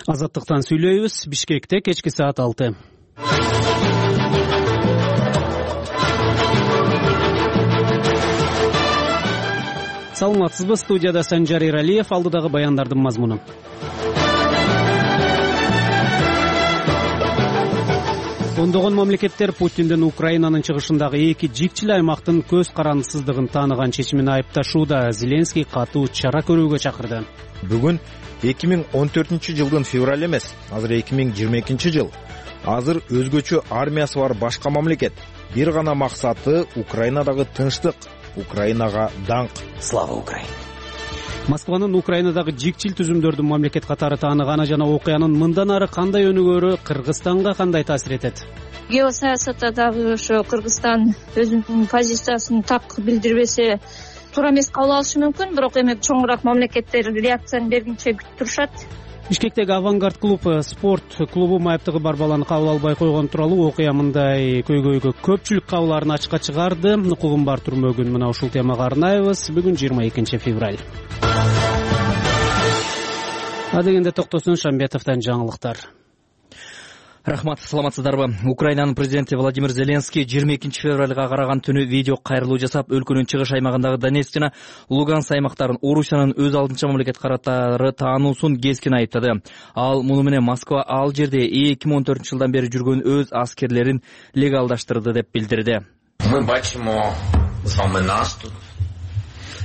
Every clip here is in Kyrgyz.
Азаттыктан сүйлөйбүз. Бишкекте кечки саат 6. Саламатсызбы, студияда Санжар Иралиев, алдыдагы баяндардын мазмуну. Ондогон мамлекеттер Путиндин Украинанын чыгышындагы эки жикчил аймактын көз карандысыздыгын тааныган чечимин айыпташууда. Зеленский катуу чара көрүүгө чакырды. Бүгүн 2014-жылдын февраль эмес, азыр 2022 жыл. Азыр өзгөчө армиясы бар башка мамлекет. Бир гана максаты Украинадагы тынчтык, Украинага даңк. Слава Украине! Москванын Украинадагы жикчил түзүмдөрдүн мамлекет катары тааныганы жана окуянын мындан ары кандай өнүгөрү Кыргызстанга кандай таасир этет? Геосаясатта дагы ошо Кыргызстан өзүнүн позициясын так билдирбесе туура эмес кабыл алышы мүмкүн, бирок эми чоңураак мамлекеттер реакцияны бергенче күтүп турушат. Бишкектеги Авангард клуб спорт клубу майыптыгы бар баланы кабыл албай койгон тууралуу окуя мындай көйгөйгө көпчүлүк кабыларын ачыкка чыгарды. Укугум бар түрмөгүн мына ушул темага арнайбыз. Бүгүн 22 февраль. Адегенде токтосун Шамбетовдон жаңылыктар. Рахмат, саламатсыздарбы? Украинанын президенти Владимир Зеленский 22 февралга караган түнү видео кайрылуу жасап, өлкөнүн чыгыш аймагындагы Донецк жана Луганск аймактарын Орусиянын өз алдынча мамлекет катары таануусун кескин айыптады. Ал муну менен Москва ал жерде 2014-жылдан бери жүргөн өз аскерлерин легалдаштырды деп билдирди. Мы бачимо з вами наступ.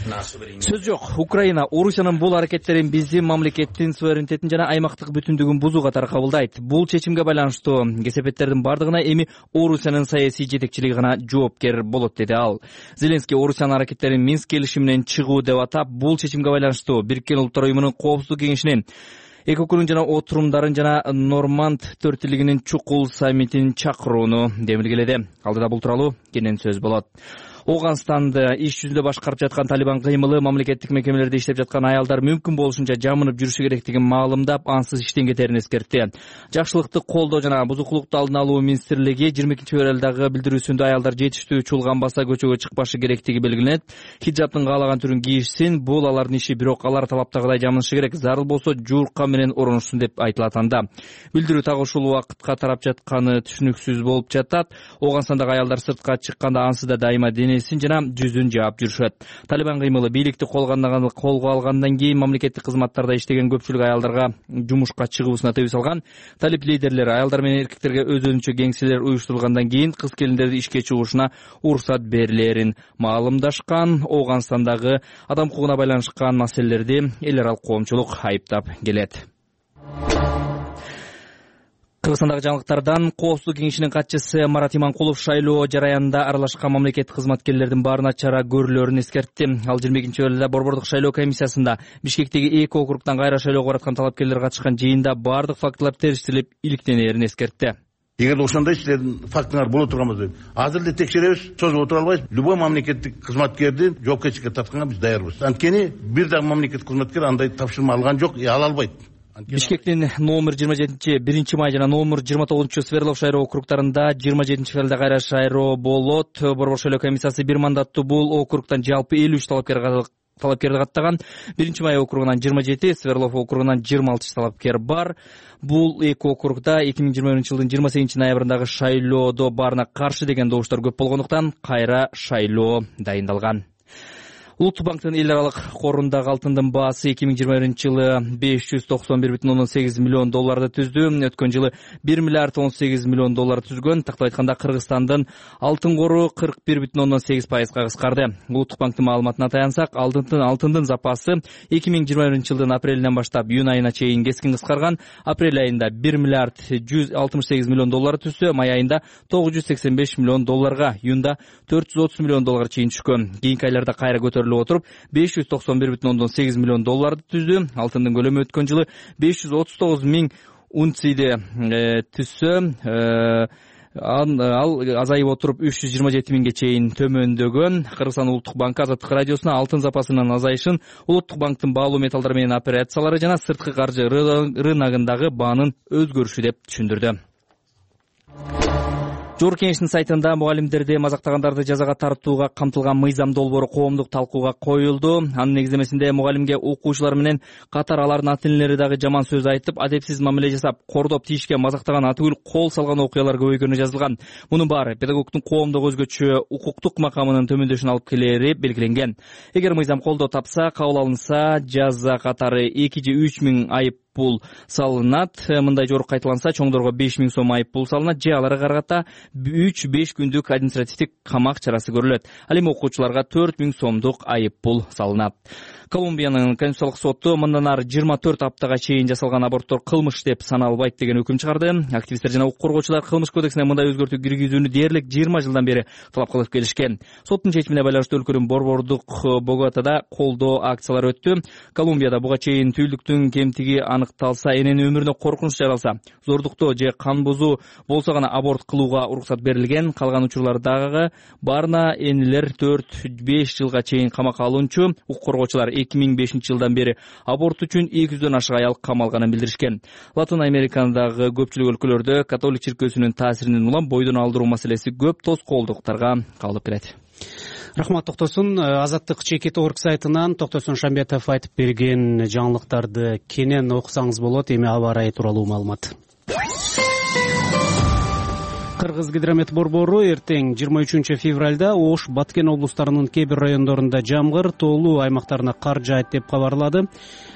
Сөз жок. Украина Орусиянын бул аракеттерин биздин мамлекеттин суверенитетин жана аймактык бүтүндүгүн бузуу катары кабылдайт. Бул чечимге байланыштуу кесепеттердин бардыгына эми Орусиянын саясий жетекчилиги гана жооптер болот, деди ал. Зеленский Орусиянын аракеттерин Минск келишиминен чыгуу деп атап, бул чечимге байланыштуу Бириккен Улуттар уюмунун Коопсуздук кеңешинин экөкүнүн жана отурумдарын жана Норманд төртүлүгүнүн чукул саммитин чакырууну демилгеледи. Алдыда бул тууралуу кенен сөз болот. Оганстанды иш жүзүндө башкарып жаткан Талибан кыймылы мамлекеттик мекемелерде иштеп жаткан аялдар мүмкүн болушунча жамынып жүрүшү керектигин маалымдап, ансыз иштен кетерин эскертти. Жакшылыкты колдоо жана бузукулукту алдын алуу министрлиги 22 февралдагы билдирүүсүндө аялдар жетиштүү чуулганбаса көчөгө чыкпашы керектиги белгиленет. Хиджабтын каалаган түрүн кийишсин, бул алардын иши, бирок алар талаптагыдай жамынышы керек, зарыл болсо жуурка менен оронушсун деп айтылат анда. Билдирүү так ушул убакытка тарап жатканы түшүнүксүз болуп жатат. Оганстандагы аялдар сыртка чыкканда ансыз да дайыма денесин жана жүзүн жаап жүрүшөт. Талибан кыймылы бийликти колго алгандан кийин мамлекеттик кызматтарда иштеген көпчүлүк аялдарга жумушка чыгуусуна тыюу салган. Талиб лидерлери аялдар менен эркектерге өзүнчө кеңселер уюштурулгандан кийин кыз-келиндерди ишке чыгуушуна уруксат берилерин маалымдашкан. Оганстандагы адам укугуна байланышкан маселелерди эл аралык коомчулук айыптап келет. Кыргызстандагы жаңылыктардан Коопсуздук кеңешинин катчысы Марат Иманкулов шайлоо жараянында аралашкан мамлекеттик кызматкерлердин баарына чара көрүлөрүн эскертти. Ал 22 февралда Борбордук шайлоо комиссиясында Бишкектеги эки округтан кайра шайлоого бараткан талапкерлер катышкан жыйында бардык фактылар териштирилип иликтенерин эскертти. Эгер ошондой силердин фактыңар боло турган болсо, азыр эле текшеребиз, созуп отура албайбыз. Любой мамлекеттик кызматкерди жоопкерчиликке тартканга биз даярбыз. Анткени бир дагы мамлекеттик кызматкер андай тапшырма алган жок, ала албайт. Бишкектин номер 27 1 май жана номер 29 Свердлов шайлоо округтарында 27 февралда кайра шайлоо болот. Борбор шайлоо комиссиясы бир мандаттуу бул округтан жалпы 53 талапкерди каттаган. 1 май округунан 27, Свердлов округунан 26 талапкер бар. Бул эки округда 2021-жылдын 28 ноябрындагы шайлоодо баарына каршы деген добуштар көп болгондуктан кайра шайлоо дайындалган. Улуттук банктын эл аралык корундагы алтындын баасы 2021-жылы 591,8 миллион долларды түздү. Өткөн жылы 1 миллиард 18 миллион доллар түзгөн. Тактап айтканда Кыргызстандын алтын кору 41,8%га кыскарды. Улуттук банктын маалыматына таянсак, алтындын запасы 2021-жылдын апрелинен баштап июнь айына чейин кескин кыскарган. Апрель айында 1 миллиард 168 миллион доллар түздү, май айында 985 миллион долларга, июнда 430 миллион долларга чейин түшкөн. Кийинки айларда кайра көтөрүлүп отуруп 591,8 миллион долларды түздү. Алтындын көлөмү өткөн жылы 539 миң унцияды түзсө, ал азайып отуруп 327 миңге чейин төмөндөгөн. Кыргызстан Улуттук банкы Азаттык радиосуна алтын запасынын азайышын, Улуттук банктын баалуу металлдар менен операциялары жана сырткы каржы рыногундагы баанын өзгөрүшү деп түшүндүрдү. Жогорку Кеңештин сайтында мугалимдерди мазактагандарды жазага тартууга камтылган мыйзам долбоору коомдук талкууга коюлду. Анын негиздемесинде мугалимге окуучулар менен катар алардын ата-энелери дагы жаман сөз айтып, адепсиз мамиле жасап, кордоп тийишке мазактаган атүгүл кол салган окуялар көбөйгөнү жазылган. Мунун баары педагогдун коомдук өзгөчө укуктук макамынын төмөндөшүнө алып келери белгиленген. Эгер мыйзам колдоо тапса, кабыл алынса, жаза катары 2 же 3 миң айып пул салынат. Мындай жорук кайталанса, чоңдорго 5 миң сом айып пул салынат же аларга карата 3-5 күндүк административдик камак чарасы көрүлөт. Ал эми окуучуларга 4 миң сомдук айып пул салынат. Колумбиянын конституциялык соту мындан ары 24 аптага чейин жасалган аборттор кылмыш деп саналбайт деген өкүм чыгарды. Активисттер жана укук коргоочулар кылмыш кодексине мындай өзгөртүү киргизүүнү дээрлик 20 жылдан бери талап кылып келишкен. Соттун чечимине байланыштуу өлкөнүн борбордук Боготада колдоо акциялары өттү. Колумбияда буга чейин түйүлдүктүн кемтиги аныкталса, эненин өмүрүнө коркунуч жаралса, зордуктоо же кан бузуу болсо гана аборт кылууга уруксат берилген. Калган учурлардагы баарына энелер 4-5 жылга чейин камакка алынчу. Укук коргоочулар 2005 жылдан бери аборт үчүн 200дөн ашык аял камалганын билдиришкен. Латын Америкадагы көпчүлүк өлкөлөрдө католик чиркөөсүнүн таасиринен улам бойдон алдыруу маселеси көп тоскоолдуктарга калып келет. Рахмат Токтосун. Азаттык чекит орг сайтынан Токтосун Шамбетов айтып берген жаңылыктарды кенен окусаңыз болот. Эми аба ырайы тууралуу маалымат. Кыргыз гидромет борбору эртең 23 февралда Ош, Баткен облустарынын кээ бир райондорунда жамгыр, тоолуу аймактарына кар жаайт деп кабарлады.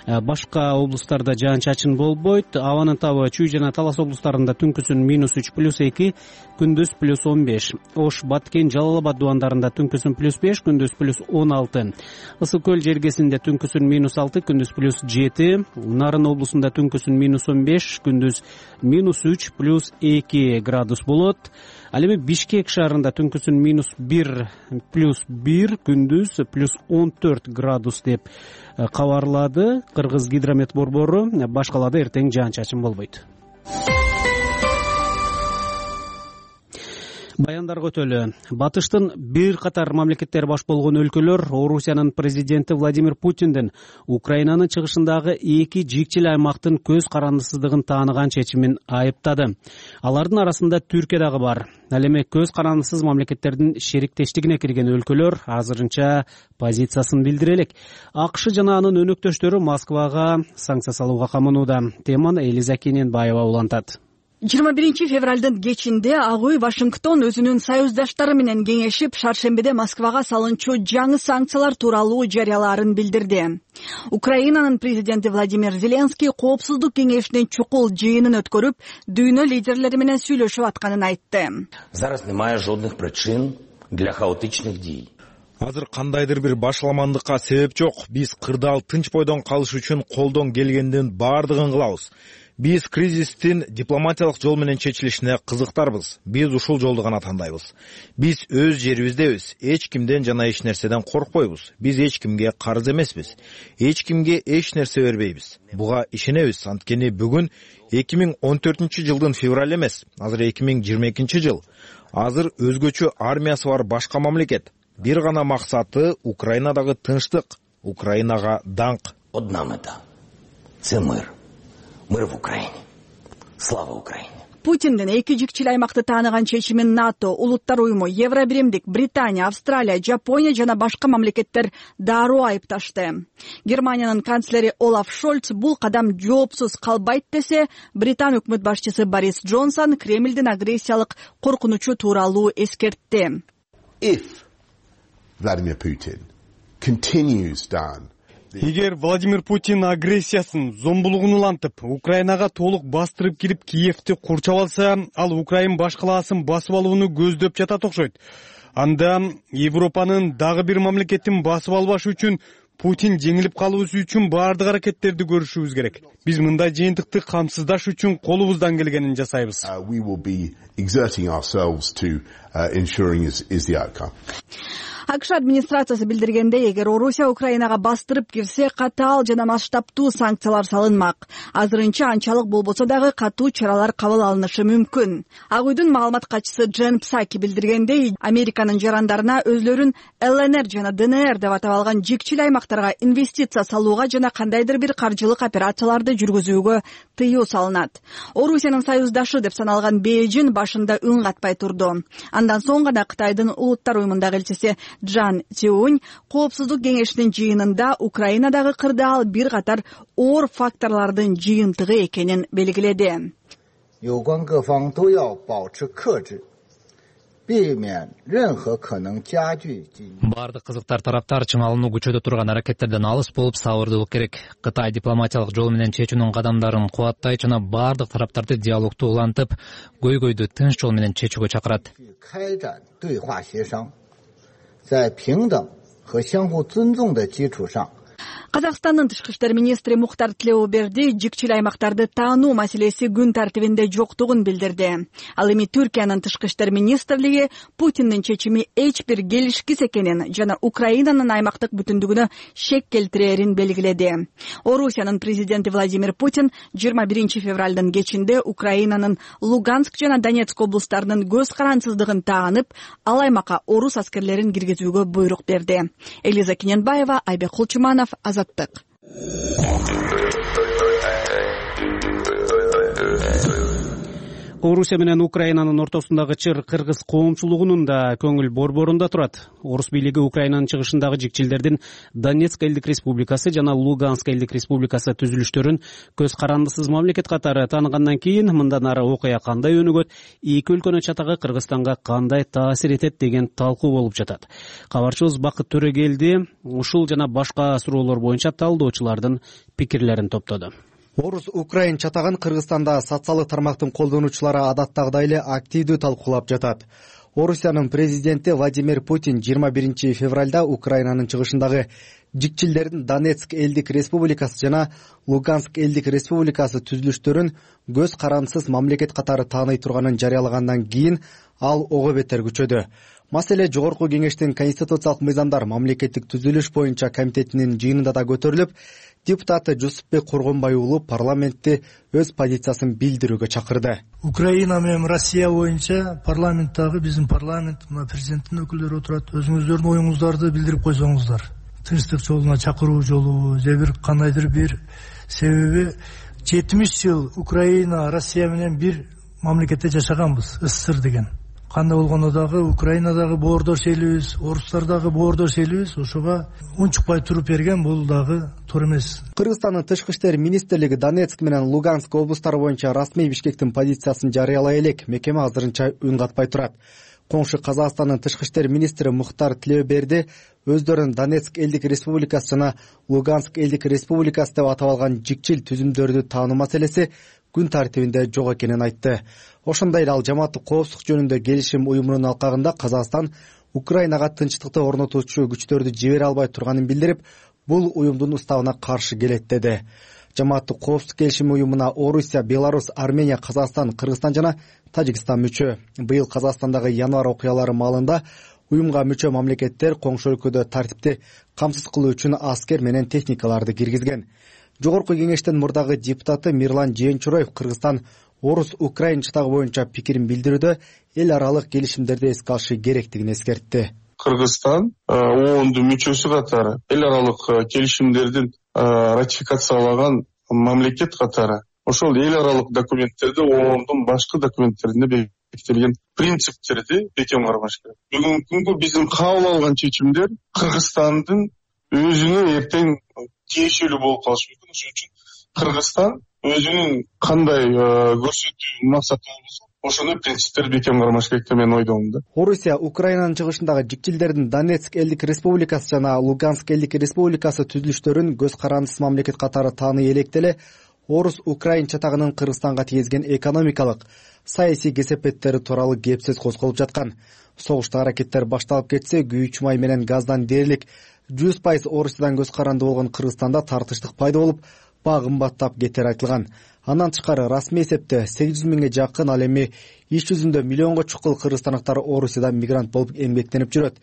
Башка облустарда жаан-чачын болбойт. Абанын табы Чүй жана Талас облустарында түнкүсүн -3 +2, күндүз +15. Ош, Баткен, Жалал Абад дубандарында түнкүсүн +5, күндүз +16. Ысык көл жергесинде түнкүсүн -6, күндүз +7. Нарын облусунда түнкүсүн -15, күндүз -3 +2 градус болот. Ал эми Бишкек шаарында түнкүсүн -1 +1, күндүз +14 градус деп кабарлады Кыргыз гидромет борбору. Башкалада эртең жаан-чачын болбойт. Баяндарга өтөлү. Батыштын бир катар мамлекеттер баш болгон өлкөлөр Орусиянын президенти Владимир Путиндин Украинанын чыгышындагы 2 жикчил аймактын көз карандысыздыгын тааныган чечимин айыптады. Алардын арасында Түркия дагы бар. Ал эми көз карандысыз мамлекеттердин шериктештигине кирген өлкөлөр азырынча позициясын билдире элек. АКШ жана анын өнөктөштөрү Москвага санкция салууга каманууда. Теманы Элиза Кененбаева улантат. 21 февралдын кечинде Ак үй Вашингтон өзүнүн союздаштары менен кеңешип, шаршембиде Москвага салынчу жаңы санкциялар тууралуу жарыялаарын билдирди. Украинанын президенти Владимир Зеленский коопсуздук кеңешинин чукул жыйынын өткөрүп, дүйнө лидерлери менен сүйлөшүп атканын айтты. Зараз немає жодних причин для хаотичних дій. Азыр кандайдыр бир башаламандыкка себеп жок. Биз кырдаал тынч бойдон калыш үчүн колдон келгендин баардыгын кылабыз. Биз кризистин дипломатиялык жол менен чечилишине кызыктарбыз. Биз ушул жолду гана тандайбыз. Биз өз жерибиздебиз. Эч кимден жана эч нерседен коркпойбуз. Биз эч кимге карыз эмеспиз. Эч кимге эч нерсе бербейбиз. Буга ишенебиз. Анткени бүгүн 2014 жылдын февраль эмес, азыр 2022 жыл. Азыр өзгөчө армиясы бар башка мамлекет. Бир гана максаты Украинадагы тынчтык, Украинага даңк. Одна мета – це мир. Мир в Украине. Слава Украине. Путиндин 2 жикчил аймакты тааныган чечимин НАТО, Улуттар уюму, Евробиримдик, Британия, Австралия, Жапония жана башка мамлекеттер дароо айыпташты. Германиянын канцлери Олаф Шольц бул кадам жоопсуз калбайт десе, Британ өкмөт башчысы Борис Джонсон Кремлдин агрессиялык коркунучу тууралуу эскертти. If Vladimir Putin continues down, эгер Владимир Путин агрессиясын, зомбулугун улантып, Украинага толук бастырып кирип Киевти курчап алса, ал Украин баш калаасын басып алууну көздөп жатат окшойт. Анда Европанын дагы бир мамлекетин басып албаш үчүн Путин жеңилип калуусу үчүн баардык аракеттерди көрүшүбүз керек. Биз мындай жыйынтыкты камсыздаш үчүн колубуздан келгенин жасайбыз. We will be exerting ourselves to ensuring is the outcome. АКШ администрациясы билдиргендей, эгер Орусия Украинага бастырып кирсе, катаал жана масштабтуу санкциялар салынмак. Азырынча анчалык болбосо дагы катуу чаралар кабыл алынышы мүмкүн. Ак үйдүн маалымат катчысы Джен Псаки билдиргендей, Американын жарандарына өзлөрүн ЛНР жана ДНР деп атап алган жикчил аймактарга инвестиция салууга жана кандайдыр бир каржылык операцияларды жүргүзүүгө тыюу салынат. Орусиянын союздашы деп саналган Бейжин башында үн катпай турду. Андан соң гана Кытайдын улуттар уюмундагы элчиси Джан Цюнь Коопсуздук кеңешинин жыйынында Украинадагы кырдаал бир катар оор факторлордун жыйынтыгы экенин белгиледи. Бардык кызыктар тараптар чыңалууну күчөтө турган аракеттерден алыс болуп сабырдуулук керек. Кытай дипломатиялык жол менен чечүүнүн кадамдарын кубаттайт жана бардык тараптарды диалогду улантып, көйгөйдү тынч жол менен чечүүгө чакырат. 在平等和相互尊重的基础上 Казакстандын тышкы иштер министри Мухтар Тилеуберди жикчил аймактарды таануу маселеси күн тартибинде жоктугун билдирди. Ал эми Түркиянын тышкы иштер министрлиги Путиндин чечими эч бир келишкис экенин жана Украинанын аймактык бүтүндүгүнө шек келтирерин белгиледи. Орусиянын президенти Владимир Путин 21 февралдын кечинде Украинанын Луганск жана Донецк облустарынын көз карансыздыгын таанып, ал аймакка орус аскерлерин киргизүүгө буйрук берди. Элиза Кененбаева, Айбек Кулчуманов, Азаттык. Орусия менен Украинанын ортосундагы чыр кыргыз коомчулугунун да көңүл борборунда турат. Орус бийлиги Украинанын чыгышындагы жикчилдердин Донецк элдик республикасы жана Луганск элдик республикасы түзүлүштөрүн көз карандысыз мамлекет катары тааныгандан кийин мындан ары окуя кандай өнүгөт, эки өлкөнүн чатагы Кыргызстанга кандай таасир этет деген талкуу болуп жатат. Кабарчыбыз Бакыт Төрөгелди ушул жана башка суроолор боюнча талдоочулардын пикирлерин топтоду. Орус-Украин чатагын Кыргызстанда социалдык тармактын колдонуучулары адаттагыдай эле активдүү талкуулап жатат. Орусиянын президенти Владимир Путин 21 февралда Украинанын чыгышындагы жикчилдердин Донецк элдик республикасы жана Луганск элдик республикасы түзүлүштөрүн көз карансыз мамлекет катары тааный турганын жарыялагандан кийин ал ого бетер күчөдү. Маселе Жогорку кеңештин конституциялык мыйзамдар мамлекеттик түзүлүш боюнча комитетинин жыйынында да көтөрүлүп, депутаты Жусупбек Коргонбай уулу парламентти өз позициясын билдирүүгө чакырды. Украина менен Россия боюнча парламенттагы биздин парламент, президенттин өкүлдөрү отурат. Өзүңүздөрдүн оюңуздарды билдирип койсоңуздар. Тынчтык жолуна чакыруу жолу же бир кандайдыр бир себеби 70 жыл Украина, Россия менен бир мамлекетте жашаганбыз, СССР деген. Кандай болгондо дагы Украинадагы боордош элибиз, орустардагы боордош элибиз, ошого унчукпай туруп берген бул дагы туура эмес. Кыргызстандын тышкы иштер министрлиги Донецк менен Луганск облустары боюнча расмий Бишкектин позициясын жарыялай элек, мекеме азырынча үн катпай турат. Коңшу Казакстандын тышкы иштер министри Мухтар Тилеуберди өздөрүн Донецк элдик республикасы жана Луганск элдик республикасы деп атап алган жикчил түзүмдөрдү таануу маселеси күн тартибинде жок экенин айтты. Ошондой эле ал жамааттык коопсуздук жөнүндө келишим уюмунун алкагында Казакстан Украинага тынчтыкты орнотуучу күчтөрдү жибере албай турганын билдирип, бул уюмдун уставына каршы келет деди. Жамааттык коопсуздук келишим уюмуна Орусия, Беларусь, Армения, Казакстан, Кыргызстан жана Тажикстан мүчө. Быйыл Казакстандагы январь окуялары маалында уюмга мүчө мамлекеттер коңшу өлкөдө тартипти камсыз кылуу үчүн аскер менен техникаларды киргизген. Жогорку кеңештин мурдагы депутаты Мирлан Жээнчуроев Кыргызстан Орус-Украин чатагы боюнча пикирин билдирүүдө эл аралык келишимдерди эске алышы керектигин эскертти. Кыргызстан ООНдун мүчөсү катары эл аралык келишимдердин ратификациялаган мамлекет катары ошол эл аралык документтерди ООНдун башкы документтеринде бекитилген принциптерди бекем кармаш керек. Бүгүнкү күнгө биздин кабыл алган чечимдер Кыргызстандын өзүнө эртең тиешелүү болуп калышы мүмкүн. Ошон үчүн Кыргызстан өзүнүн кандай көрсөтүү максаты болбосо ошондой принциптерди бекем кармаш керек деп мен ойдомун да. Орусия Украинанын чыгышындагы жикчилдердин Донецк элдик республикасы жана Луганск элдик республикасы түзүлүштөрүн көз карандысыз мамлекет катары тааный элек деле Орус-Украин чатагынын Кыргызстанга тийгизген экономикалык, саясий кесепеттери тууралуу кеп сөз козголуп жаткан. Согуштагы аракеттер башталып кетсе, күйүүчү май менен газдан дээрлик 100% Орусиядан көз каранды болгон Кыргызстанда тартыштык пайда болуп, баа кымбаттап кетери айтылган. Андан тышкары расмий эсепте 800 миңге жакын, ал эми иш жүзүндө миллионго чукул кыргызстандыктар Орусияда мигрант болуп эмгектенип жүрөт.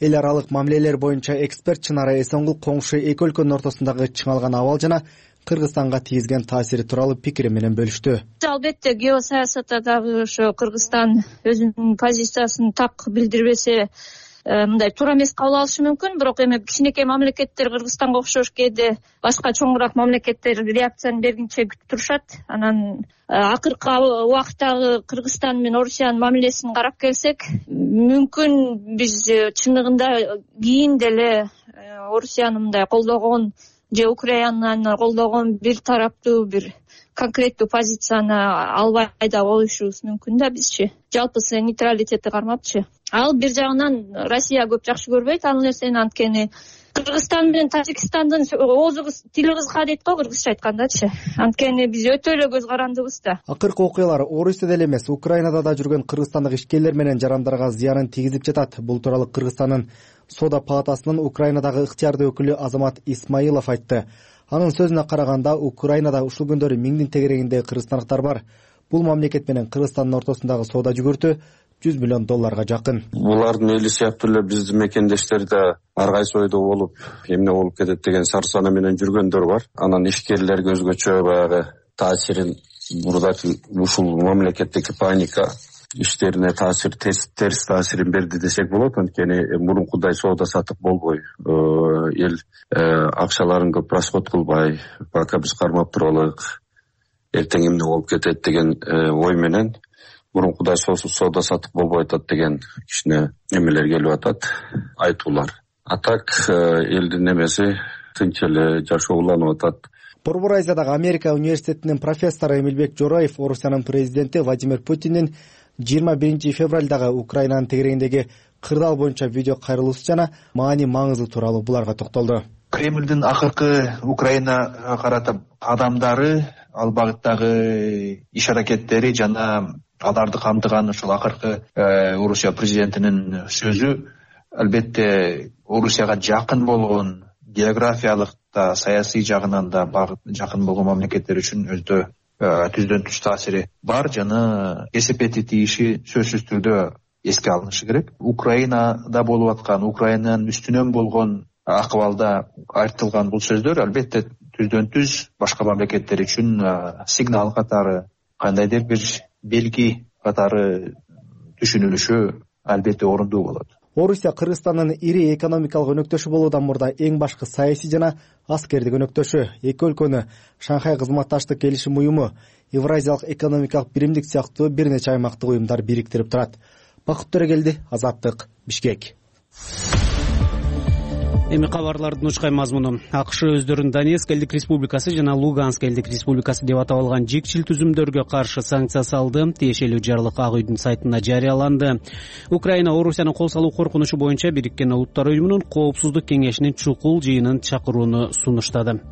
Эл аралык мамилелер боюнча эксперт Чынара Эсонгул коңшу эки өлкөнүн ортосундагы чыңалган абал жана Кыргызстанга тийгизген таасири тууралуу пикири менен бөлүштү. Албетте геосаясатта дагы ошо Кыргызстан өзүнүн позициясын так билдирбесе мындай туура эмес кабыл алышы мүмкүн. Бирок эми кичинекей мамлекеттер Кыргызстанга окшош кээде башка чоңураак мамлекеттер реакцияны бергенче күтүп турушат. Анан акыркы убакыттагы Кыргызстан менен Орусиянын мамилесин карап келсек, мүмкүн биз чындыгында кийин деле Орусияны мындай колдогон же Украинаны колдогон бир тараптуу бир конкреттүү позицияны албай да коюшубуз мүмкүн да бизчи. Жалпысы нейтралитетти кармапчы. Ал бир жагынан Россия көп жакшы көрбөйт ал нерсени, анткени Кыргызстан менен Тажикстандын оозу тили кызга дейт го, кыргызча айткандачы. Анткени биз өтө эле көз карандыбыз да. Акыркы окуялар Орусияда эле эмес, Украинада да жүргөн кыргызстандык ишкерлер менен жарандарга зыянын тийгизип жатат. Бул тууралуу Кыргызстандын Соода палатасынын Украинадагы ыктыярдуу өкүлү Азамат Исмаилов айтты. Анын сөзүнө караганда, Украинада ушул күндөрү миңдин тегерегинде кыргызстандыктар бар. Бул мамлекет менен Кыргызстандын ортосундагы соода жүгүртү $100 миллион жакын. Булардын эли сыяктуу эле биздин мекендештер да ар кайсы ойдо болуп, эмне болуп кетет деген сарсана менен жүргөндөр бар. Анан ишкерлерге өзгөчө баягы таасирин бурдат, ушул мамлекеттеги паника иштерине терс таасирин берди десек болот. Анткени мурункудай соода сатык болбой, эл акчаларын көп расход кылбай, пока биз кармап туралык, эртең эмне болуп кетет деген ой менен мурункудай соода сатык болбой атат деген кичине эмелер келип атат, айтуулар. А так элдин эмеси тынч эле жашооланып атат. Борбор Азиядагы Америка университетинин профессору Эмилбек Жороев Орусиянын президенти Владимир Путиндин 21 февралдагы Украинанын тегерегиндеги кырдаал боюнча видео кайрылуусу жана маани маңызы тууралуу буларга токтолду. Кремлдин акыркы Украинага карата кадамдары, ал багыттагы иш аракеттери жана аларды камтыган ушул акыркы Орусия президентинин сөзү албетте Орусияга жакын болгон, географиялык да саясий жагынан да жакын болгон мамлекеттер үчүн өздө түздөн түз таасири бар жана эсепети тийиши сөзсүз түрдө эске алынышы керек. Украинада болуп аткан, Украинанын үстүнөн болгон акыбалда айтылган бул сөздөр албетте түздөн түз башка мамлекеттер үчүн сигнал катары, кандайдыр бир белги катары түшүнүлүшү албетте орундуу болот. Орусия Кыргызстандын ири экономикалык өнөктөшү болуудан мурда эң башкы саясий жана аскердик өнөктөшү. Эки өлкөнү Шанхай кызматташтык келишим уюму, Евразиялык экономикалык биримдик сыяктуу бир нече аймактык уюмдар бириктирип турат. Бакыт Төрөгелди, Азаттык, Бишкек. Эми кабарлардын учкай мазмуну. АКШ өздөрүн Донецк элдик республикасы жана Луганск элдик республикасы деп атап алган жикчил түзүмдөргө каршы санкция салды. Тиешелүү жарлык Ак үйдүн сайтында жарыяланды. Украина Орусиянын кол салуу коркунучу боюнча Бириккен Улуттар уюмунун Коопсуздук кеңешинин чукул жыйынын чакырууну сунуштады.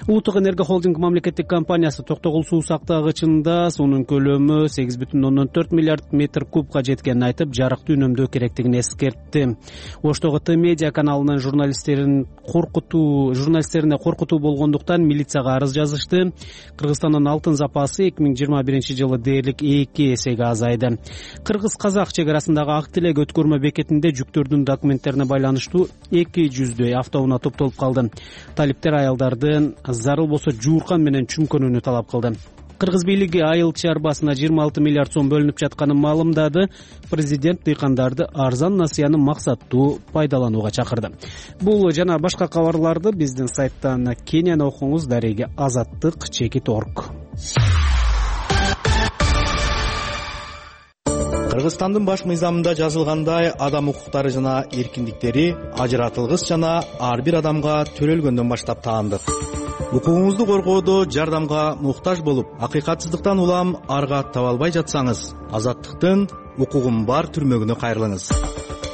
Улуттук энергия холдинг мамлекеттик компаниясы Токтогул суу сактагычында суунун көлөмү 8,4 миллиард метр кубка жеткенин айтып, жарыкты үнөмдөө керектигин эскертти. Оштогу Т медиа каналынын журналисттерине коркутуу болгондуктан милицияга арыз жазышты. Кыргызстандын алтын запасы 2021 жылы дээрлик 2 эсеге азайды. Кыргыз-казак чек арасындагы Ак Тилек өткөрмө бекетинде жүктөрдүн документтерине байланыштуу 200 автоунаа топтолуп калды. Талиптер аялдардын зарыл болсо жууркан менен чүмкөнүүнү талап кылды. Кыргыз бийлиги айыл чарбасына 26 миллиард сом бөлүнүп жатканын маалымдады. Президент дыйкандарды арзан насыяны максаттуу пайдаланууга чакырды. Бул жана башка кабарларды биздин сайттан кенен окуңуз. Дареги Азаттык.org. Кыргызстандын баш мыйзамында жазылгандай, адам укуктары жана эркиндиктери ажыратылгыс жана ар бир адамга төрөлгөндөн баштап таандык. Укугуңузду коргоодо жардамга муктаж болуп, акыйкатсыздыктан улам арга таба албай жатсаңыз, Азаттыктын укугум бар түрмөгүнө кайрылыңыз.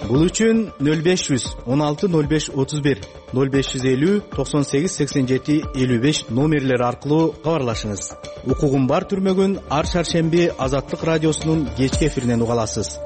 Бул үчүн 0500 16 05 31 0550 98 87 55 номерлери аркылуу кабарлашыңыз. Укугум бар түрмөгүн ар шаршемби Азаттык радиосунун кечки эфиринен уга аласыз.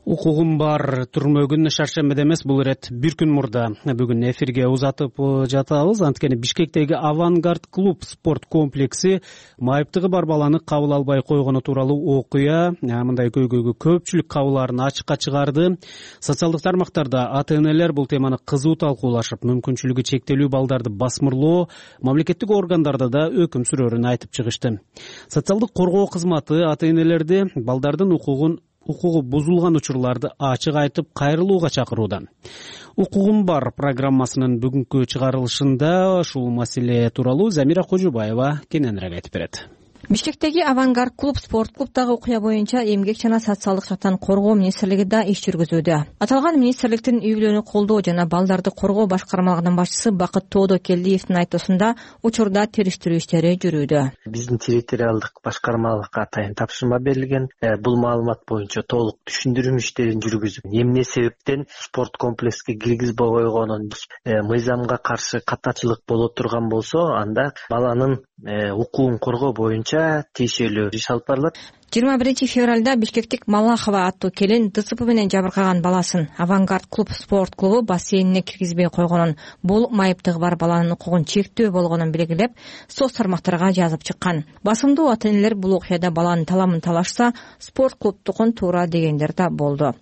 Укугум бар түрмөгүн шаршембиде эмес, бул ирет бир күн мурда бүгүн эфирге узатып жатабыз. Анткени Бишкектеги Авангард клуб спорт комплекси майыптыгы бар баланы кабыл албай койгону тууралуу окуя мындай көйгөйгө көпчүлүк кабыларын ачыкка чыгарды. Социалдык тармактарда ата-энелер бул теманы кызуу талкуулашып, мүмкүнчүлүгү чектелүү балдарды басмырлоо, мамлекеттик органдарда да өкүм сүрөөрүн айтып чыгышты. Социалдык коргоо кызматы ата-энелерди балдардын укугу бузулган учурларды ачык айтып кайрылууга чакырууда. Укугум бар программасынын бүгүнкү чыгарылышында ушул маселе тууралуу Замира Кожубаева кененирээк айтып берет. Бишкектеги Авангард клуб спорт клубдагы окуя боюнча эмгек жана социалдык жактан коргоо министрлиги да иш жүргүзүүдө. Аталган министрликтин үй бүлөнү колдоо жана балдарды коргоо башкармалыгынын башчысы Бакыт Тоодокелдиевдин айтуусунда учурда териштирүү иштери жүрүүдө. Биздин территориалдык башкармалыкка атайын тапшырма берилген. Бул маалымат боюнча толук түшүндүрүү иштерин жүргүзүп, эмне себептен спорт комплекске киргизбей койгонун, мыйзамга каршы катачылык боло турган болсо, анда баланын укугун коргоо боюнча тиешелүү иш алып барылат. 21 февралда Бишкектик Малахова аттуу келин ДЦП менен жабыркаган баласын Авангард клуб спорт клубу бассейнине киргизбей койгонун, бул майыптыгы бар баланын укугун чектөө болгонун белгилеп, соц тармактарга жазып чыккан. Басымдуу ата-энелер бул окуяда баланын таламын талашса, спорт клубтукун туура дегендер да болду.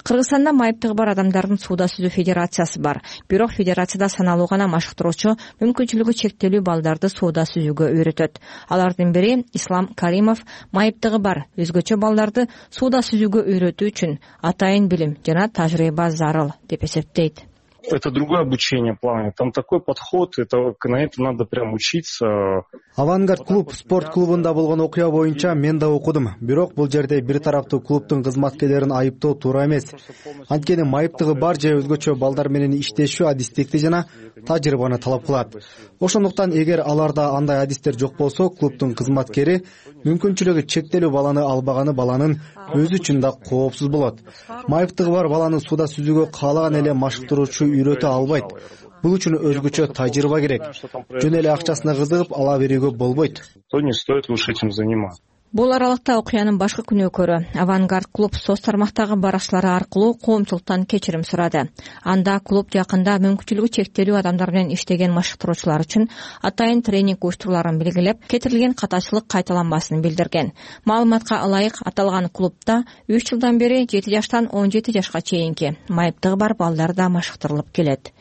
Кыргызстанда майыптыгы бар адамдардын сууда сүзүү федерациясы бар. Бирок федерацияда саналуу гана машыктыруучу мүмкүнчүлүгү чектелүү балдарды сууда сүзүүгө үйрөтөт. Алардын бири Ислам Каримов майыптыгы бар өзгөчө балдарды сууда сүзүүгө үйрөтүү үчүн атайын билим жана тажрыйба зарыл деп эсептейт. Это другое обучение плавания, там такой подход, на это надо прям учиться. Авангард клуб спорт клубунда болгон окуя боюнча мен да окудум. Бирок бул жерде бир тараптуу клубтун кызматкерлерин айыптоо туура эмес. Анткени майыптыгы бар же өзгөчө балдар менен иштешүү адистикти жана тажрыйбаны талап кылат. Ошондуктан эгер аларда андай адистер жок болсо, клубтун кызматкери мүмкүнчүлүгү чектелүү баланы албаганы баланын өзү үчүн да коопсуз болот. Майыптыгы бар баланы сууда сүзүүгө каалаган эле машыктыруучу үйрөтө албайт. Бул үчүн өзгөчө тажрыйба керек. Жөн эле акчасына кызыгып ала берүүгө болбойт. То не стоит лучше этим заниматься. Бул аралыкта окуянын башкы күнөөкөрү Авангард клуб соц тармактагы баракчылары аркылуу коомчулуктан кечирим сурады. Анда клуб жакында мүмкүнчүлүгү чектелүү адамдар менен иштеген машыктыруучулар үчүн атайын тренинг уюштурууларын белгилеп, кетирилген катачылык кайталанбасын билдирген. Маалыматка ылайык, аталган клубда 3 жылдан бери 7 жаштан 17 жашка чейинки майыптыгы бар балдар да машыктырылып келет.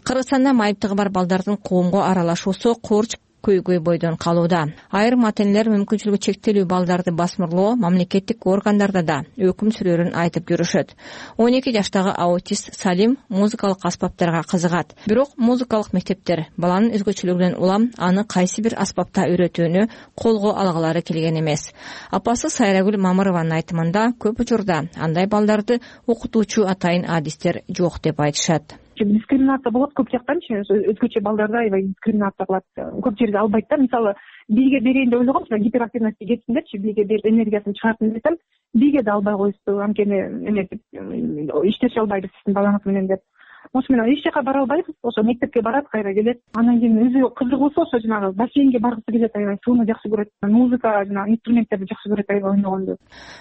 Кыргызстанда майыптыгы бар балдардын коомго аралашуусу курч көйгөй бойдон калууда. Айрым ата-энелер мүмкүнчүлүгү чектелүү балдарды басмырлоо мамлекеттик органдарда да өкүм сүрөөрүн айтып жүрүшөт. 12 жаштагы аутист Салим музыкалык аспаптарга кызыгат. Бирок музыкалык мектептер баланын өзгөчөлүгүнөн улам аны кайсы бир аспапта үйрөтүүнү колго алгалары келген эмес. Апасы Сайрагүл Мамырованын айтымында көп учурда андай балдарды окутуучу атайын адистер жок деп айтышат. Дискриминация болот көп жактанчы, өзгөчө балдарда аябай дискриминация кылат. Көп жерде албайт да. Мисалы, бийге берейин деп ойлогом, гиперактивности кетсиндерчи, бийге берип энергиясын чыгартсын десем, бийге да албай коюшту. Анткени иштеше албайбыз сиздин балаңыз менен деп. Ошо менен эч жака бара албайбыз. Ошо мектепке барат, кайра келет. Анан кийин өзү кызыгуусу ошо жанагы бассейнге баргысы келет, аябай сууну жакшы көрөт. Музыка жана инструменттерди жакшы көрөт, аябай ойногонду.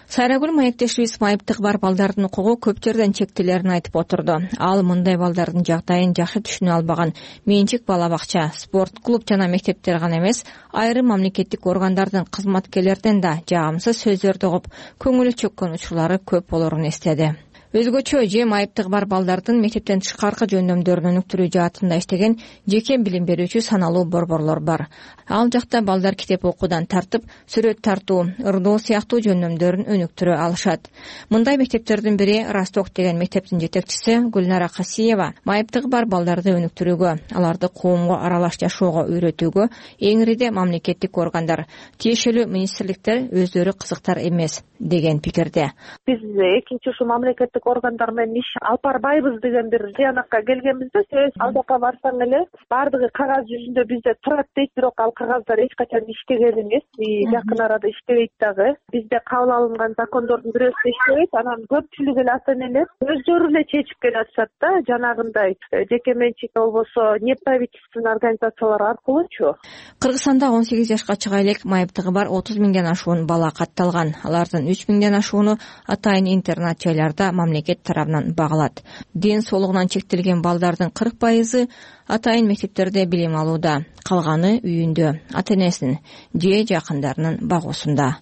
Сайрагүл маектешибиз майыптыгы бар балдардын укугу көп жерден чектелерин айтып отурду. Ал мындай балдардын жагдайын жакшы түшүнө албаган менчик бала бакча, спорт клуб жана мектептер гана эмес, айрым мамлекеттик органдардын кызматкерлеринен да жагымсыз сөздөрдү угуп, көңүлү чөккөн учурлары көп болорун эстеди. Өзгөчө же майыптыгы бар балдардын мектептен тышкаркы жөндөмдөрүн өнүктүрүү жаатында иштеген жеке билим берүүчү саналуу борборлор бар. Ал жакта балдар китеп окуудан тартып, сүрөт тартуу, ырдоо сыяктуу жөндөмдөрүн өнүктүрө алышат. Мындай мектептердин бири Росток деген мектептин жетекчиси Гүлнара Касиева майыптыгы бар балдарды өнүктүрүүгө, аларды коомго аралаш жашоого үйрөтүүгө эңириде мамлекеттик органдар, тиешелүү министрликтер өздөрү кызыктар эмес деген пикирде. Биз экинчи ушу мамлекеттик мамлекеттик органдар менен иш алып барбайбыз деген бир тыянакка келгенбизде, себеби ал жака барсаң эле баардыгы кагаз жүзүндө бизде турат дейт, бирок ал кагаздар эч качан иштеген эмес, жакын арада иштебейт дагы. Бизде кабыл алынган закондордун бирөөсү да иштебейт. Анан көпчүлүк эле ата энелер өздөрү эле чечип келатышат да, жанагындай жеке менчик болбосо неправительственный организациялар аркылуучу. Кыргызстанда 18 жашка чыга элек майыптыгы бар 30 миңден ашуун бала катталган. Алардын 3 миңден ашууну атайын интернат жайларда мамлекет тарабынан багылат. Ден соолугунан чектелген балдардын 40% атайын мектептерде билим алууда, калганы үйүндө, ата-энесинин же жакындарынын багуусунда.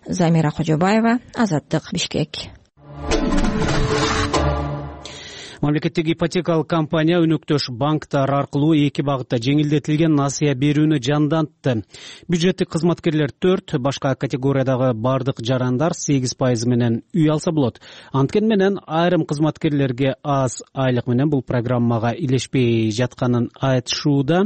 Замира Кожобаева, Азаттык, Бишкек. Мамлекеттик ипотекалык компания өнөктөш банктар аркылуу 2 багытта жеңилдетилген насыя берүүнү жандантты. Бюджеттик кызматкерлер 4, башка категориядагы бардык жарандар 8% менен үй алса болот. Анткени менен айрым кызматкерлерге аз айлык менен бул программага илешпей жатканын айтышууда.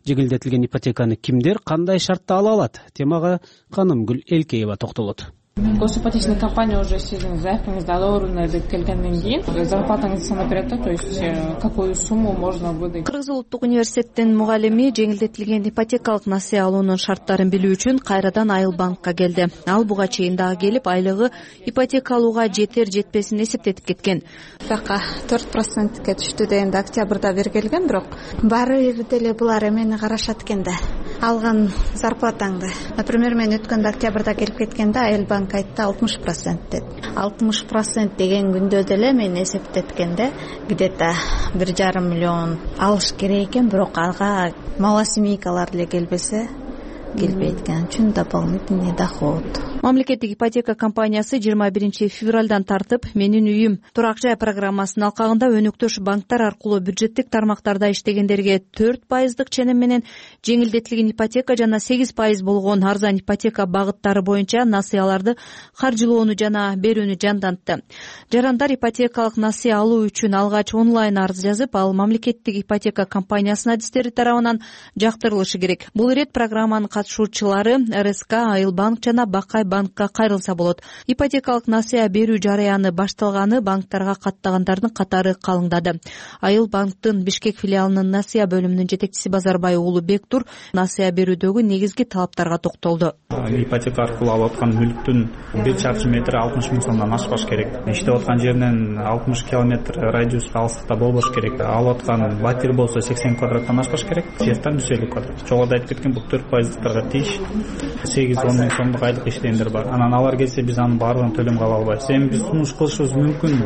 Жеңилдетилген ипотеканы кимдер кандай шартта ала алат? Темага Канымгүл Элкеева токтолот. Госипотечная компания уже сиздин заявкаңызды одобрена деп келгенден кийин зарплатаңызды санап берет да, то есть какую сумму можно выдать. Кыргыз улуттук университеттин мугалими жеңилдетилген ипотекалык насыя алуунун шарттарын билүү үчүн кайрадан Айыл банкка келди. Ал буга чейин дагы келип, айлыгы ипотека алууга жетер жетпесин эсептетип кеткен. Бака 4%ке түштү дегенде октябрда бергилген, бирок баары бир деле булар эмени карашат экен да. Алган зарплатаңды. Например, мен өткөндө октябрда келип кеткенде Айыл банк айтты 60% деп. 60% деген күндө деле мен эсептеткенде где-то 1,5 миллион алыш керек экен, бирок ага малосемейкалар эле келбесе келбейт экен. Чын дополнительный доход. Мамлекеттик ипотека компаниясы 21 февралдан тартып «Менин үйүм» турак жай программасынын алкагында өнөктөш банктар аркылуу бюджеттик тармактарда иштегендерге 4% ченем менен жеңилдетилген ипотека жана 8% болгон арзан ипотека багыттары боюнча насыяларды каржылоону жана берүүнү жандантты. Жарандар ипотекалык насыя алуу үчүн алгач онлайн арыз жазып, ал мамлекеттик ипотека компаниясынын адистери тарабынан жактырылышы керек. Бул ирет программанын катышуучулары РСК, Айыл банк жана Бакай банкка кайрылса болот. Ипотекалык насыя берүү жарыяны башталганы банктарга каттагандардын катары калыңдады. Айыл банктын Бишкек филиалынын насыя бөлүмүнүн жетекчиси Базарбай уулу Бектур насыя берүүдөгү негизги талаптарга токтолду. Ипотека аркылуу алып аткан мүлктүн 1 чарчы метри 60 миң сомдон ашпаш керек. Иштеп аткан жеринен 60 километр радиуска алыстыкта болбош керек. Алып аткан батир болсо 80 квадраттан ашпаш керек. Жертан 150 квадрат. Жогоруда айтып кеткен бул 4%-тарга тийиш 8-10 миң сомдук айлык иштегендер бар. Анан алар келсе биз анын баардыгын төлөмгө ала албайбыз. Эми биз сунуш кылышыбыз мүмкүн.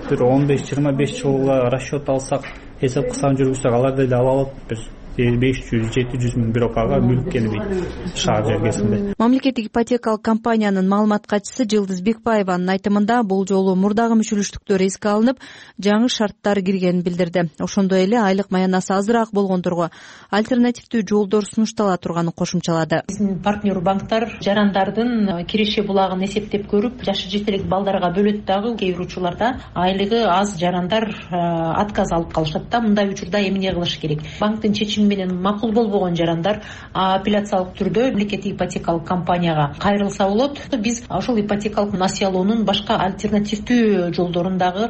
Бир 15-25 жылга расчет алсак, эсеп кысам жүргүзсөк алар деле ала алат. Бир 500-700 миң бирок ага мүлк келбейт шаар жергесинде. Мамлекеттик ипотекалык компаниянын маалымат катчысы Жылдыз Бекбаеванын айтымында бул жолу мурдагы мүчөлүштүктөр эске алынып, жаңы шарттар киргенин билдирди. Ошондой эле айлык маянасы азыраак болгондорго альтернативдүү жолдор сунуштала турганын кошумчалады. Биздин партнер банктар жарандардын киреше булагын эсептеп көрүп, жашы жетелек балдарга бөлөт дагы. Кээ бир учурларда айлыгы аз жарандар отказ алып калышат да. Мындай учурда эмне кылыш керек? Банктын чечими менен макул болбогон жарандар апелляциялык түрдө мамлекеттик ипотекалык компанияга кайрылса болот. Биз ошол ипотекалык насыя алуунун башка альтернативдүү жолдорун дагы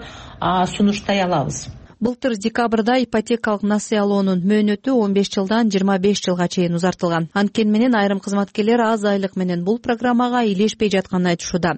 сунуштай алабыз. Былтыр декабрда ипотекалык насыя алуунун мөөнөтү 15 жылдан 25 жылга чейин узартылган. Анткени менен айрым кызматкерлер аз айлык менен бул программага илешпей жатканын айтышууда.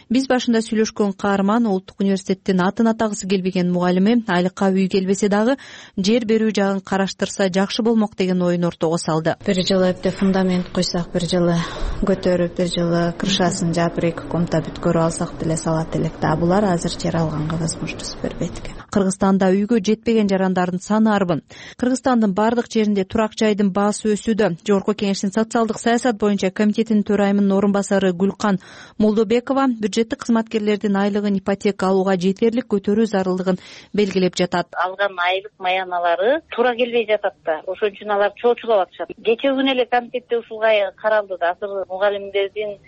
Биз башында сүйлөшкөн каарман улуттук университеттин атын атагысы келбеген мугалими айлыкка үй келбесе дагы жер берүү жагын караштырса жакшы болмок деген оюн ортого салды. Бир жылы эпте фундамент койсок, бир жылы көтөрүп, бир жылы крышасын жаап, 2 комната бүткөрүп алсак деле салат элек да. Булар азыр жер алганга возможность бербейт экен. Кыргызстанда үйгө жетпеген жарандардын саны арбын. Кыргызстандын бардык жеринде турак жайдын баасы өсүүдө. Жогорку Кеңештин социалдык саясат боюнча комитетинин төрайымынын орун басары Гүлкан Молдобекова бюджеттик кызматкерлердин айлыгын ипотека алууга жетерлик көтөрүү зарылдыгын белгилеп жатат. Алган айлык маяналары туура келбей жатат да. Ошон үчүн алар чоочулап атышат. Кечээ күнү эле комитетте ушулга каралды да. Азыр мугалимдердин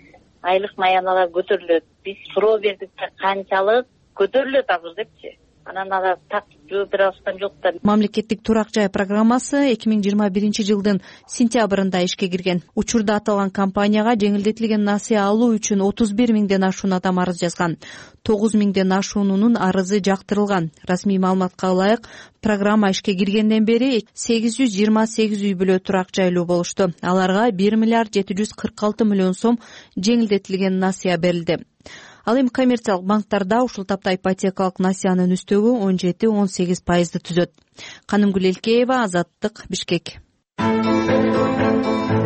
айлык маяналары көтөрүлөт. Биз суроо бердик, канчалык көтөрүлөт азыр депчи. анан ага так жооп бере алышкан жок да. Мамлекеттик турак жай программасы 2021 сентябрында ишке кирген. Учурда аталган компанияга жеңилдетилген насыя алуу үчүн 31 миңден ашуун адам арыз жазган. 9 миңден ашуунунун арызы жактырылган. Расмий маалыматка ылайык, программа ишке киргенден бери 828 үй бүлө турак жайлуу болушту. Аларга 1 миллиард 746 миллион сом жеңилдетилген насыя берилди. Ал эми коммерциялык банктарда ушул тапта ипотекалык насыянын үстөгү 17-18% түзөт. Канымгүл Элкеева, Азаттык, Бишкек.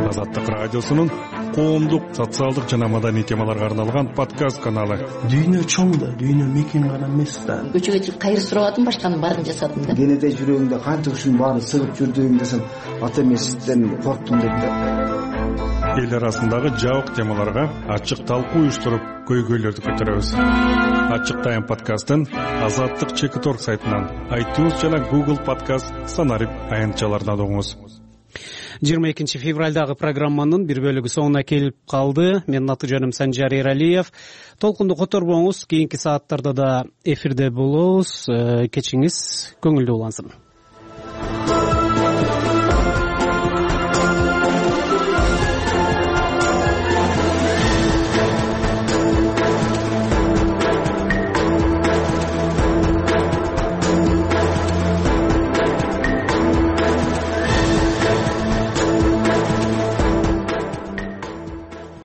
Азаттык радиосунун коомдук, социалдык жана маданий темаларга арналган подкаст каналы. Дүйнө чоң да, дүйнө мекен гана эмес да. Көчөгө чыгып кайыр сурабадым, башканын баарын жасадым да. Кенеде жүрөгүңдө канча ушунун баарын сыгып жүрдүң десем, ата эмесизден корктум деп да. Эл арасындагы жабык темаларга ачык талкуу уюштуруп, көйгөйлөрдү көтөрөбүз. Ачык Тайм подкастын Азаттык Чекиторг сайтынан, iTunes жана Google подкаст санарип аянтчаларынан угуңуз. 22 февралдагы программанын бир бөлүгү соңуна келип калды. Менин аты жөнүм Санжар Эралиев. Толкунду которбоңуз, кийинки сааттарда да эфирде болобуз. Кечиңиз көңүлдүү улансын.